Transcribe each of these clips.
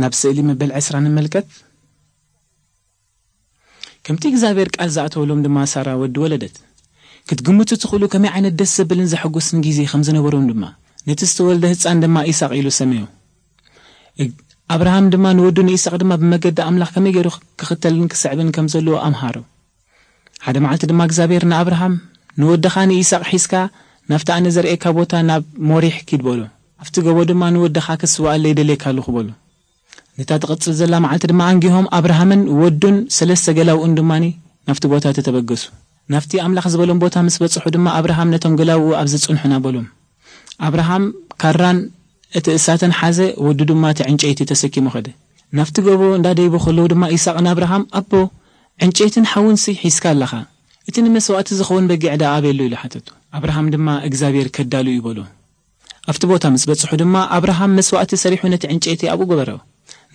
ናብ ስእሊ መበል ዕስራ ንመልከት። ከምቲ እግዚኣብሔር ቃል ዝኣተወሎም ድማ ሳራ ወዲ ወለደት። ክትግምቱ ትኽእሉ ከመይ ዓይነት ደስ ዘብልን ዘሐጉስን ግዜ ከም ዝነበሮም ድማ፣ ነቲ ዝተወልደ ህጻን ድማ ኢሳቕ ኢሉ ሰመዮ። እግ-፣ ኣብርሃም ድማ ንወዱ ንኢሳቕ ድማ ብመገዲ ኣምላኽ ከመይ ገይሩ ክኽተልን ክስዕብን ከም ዘለዎ ኣምሃሮ። ሓደ መዓልቲ ድማ እግዚኣብሔር ንኣብርሃም፣ "ንወድኻ ንኢሳቕ ሒዝካ ናብቲ ኣነ ዘርእየካ ቦታ ናብ ሞሪሕ ኪድ" በሎ። "ኣብቲ ጎቦ ድማ ንወድኻ ክስዋኣለይ ደልየካ ኣለኹ" በሎ። ነታ ትቕጽል ዘላ መዓልቲ ድማ ኣንጊሆም ኣብርሃምን ወዱን ሰለስተ ገላውኡን ድማኒ ናብቲ ቦታ ተተበገሱ። ናብቲ ኣምላኽ ዝበሎም ቦታ ምስ በጽሑ ድማ ኣብርሃም ነቶም ገላውኡ ኣብ ዝጽንሑና በሎም። ኣብርሃም ካራን እቲ እሳተን ሓዘ፣ ወዱ ድማ እቲ ዕንጨይቲ ተሰኪሙ ኸደ። ናብቲ ጎቦ እንዳደይቡ ከለዉ ድማ ኢሳቕ ንኣብርሃም፣ "ኣቦ፣ ዕንጨይትን ሓውንሲ ሒዝካ ኣለኻ፣ እቲ ንመስዋእቲ ዝኸውን በጊዕ ደኣ ኣበይ ኣሎ?" ኢሉ ሓተቱ። ኣብርሃም ድማ፣ "እግዚኣብሔር ከዳሉ እዩ" በሎ። ኣብቲ ቦታ ምስ በጽሑ ድማ ኣብርሃም መስዋእቲ ሰሪሑ ነቲ ዕንጨይቲ ኣብኡ ገበሮ።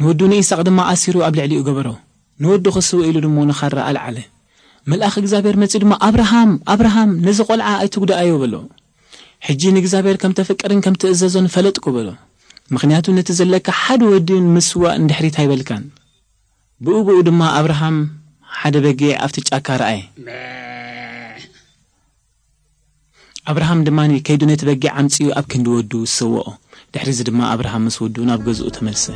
ንወዱ ንኢሳቕ ድማ ኣሲሩ ኣብ ልዕሊኡ ገበሮ። ንወዱ ክስውእ ኢሉ ድማ ንኻራ ኣልዓለ። መልኣኽ እግዚኣብሔር መጺኡ ድማ፣ "ኣብርሃም፣ ኣብርሃም፣ ነዚ ቈልዓ ኣይትጉድኣዮ" በሎ። "ሕጂ ንእግዚኣብሔር ከም ተፍቅርን ከም ትእዘዞን ፈለጥኩ" በሎ። "ምኽንያቱ ነቲ ዘለካ ሓደ ወዲ ንምስዋእ ንድሕሪት ኣይበልካን።" ብኡ ብኡ ድማ ኣብርሃም ሓደ በጊዕ ኣብቲ ጫካ ረኣየ። ኣብርሃም ድማ ከይዱ ነቲ በጊዕ ኣምጺኡ ኣብ ክንዲ ወዱ ዝሰወኦ። ድሕሪዚ ድማ ኣብርሃም ምስ ወዱ ናብ ገዝኡ ተመልሰ።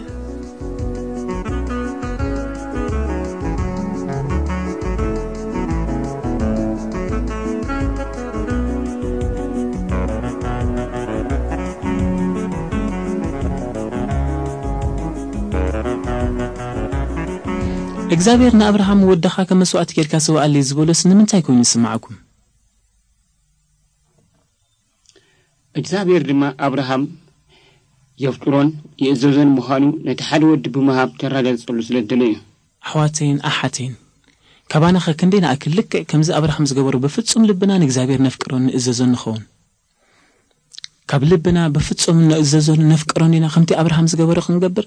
እግዚኣብሔር ንኣብርሃም፣ "ወድኻ ከም መስዋእቲ ጌርካ ስውኣለይ" ዝበሎስ ንምንታይ ኮይኑ ዝስምዓኩም? እግዚኣብሔር ድማ ኣብርሃም የፍቅሮን የእዘዞን ምዃኑ ነቲ ሓደ ወዲ ብምሃብ ተረጋግጸሉ ስለ ዝደለዮ እዩ። ኣሕዋተይን ኣሓተይን፣ ካባናኸ ክንደይ ንኣክል ልክዕ ከምዚ ኣብርሃም ዝገበሮ ብፍጹም ልብና ንእግዚኣብሔር ነፍቅሮን ንእዘዞን ንኸውን? ካብ ልብና ብፍጹም ንእዘዞን ነፍቅሮን ኢና ከምቲ ኣብርሃም ዝገበሮ ክንገብር?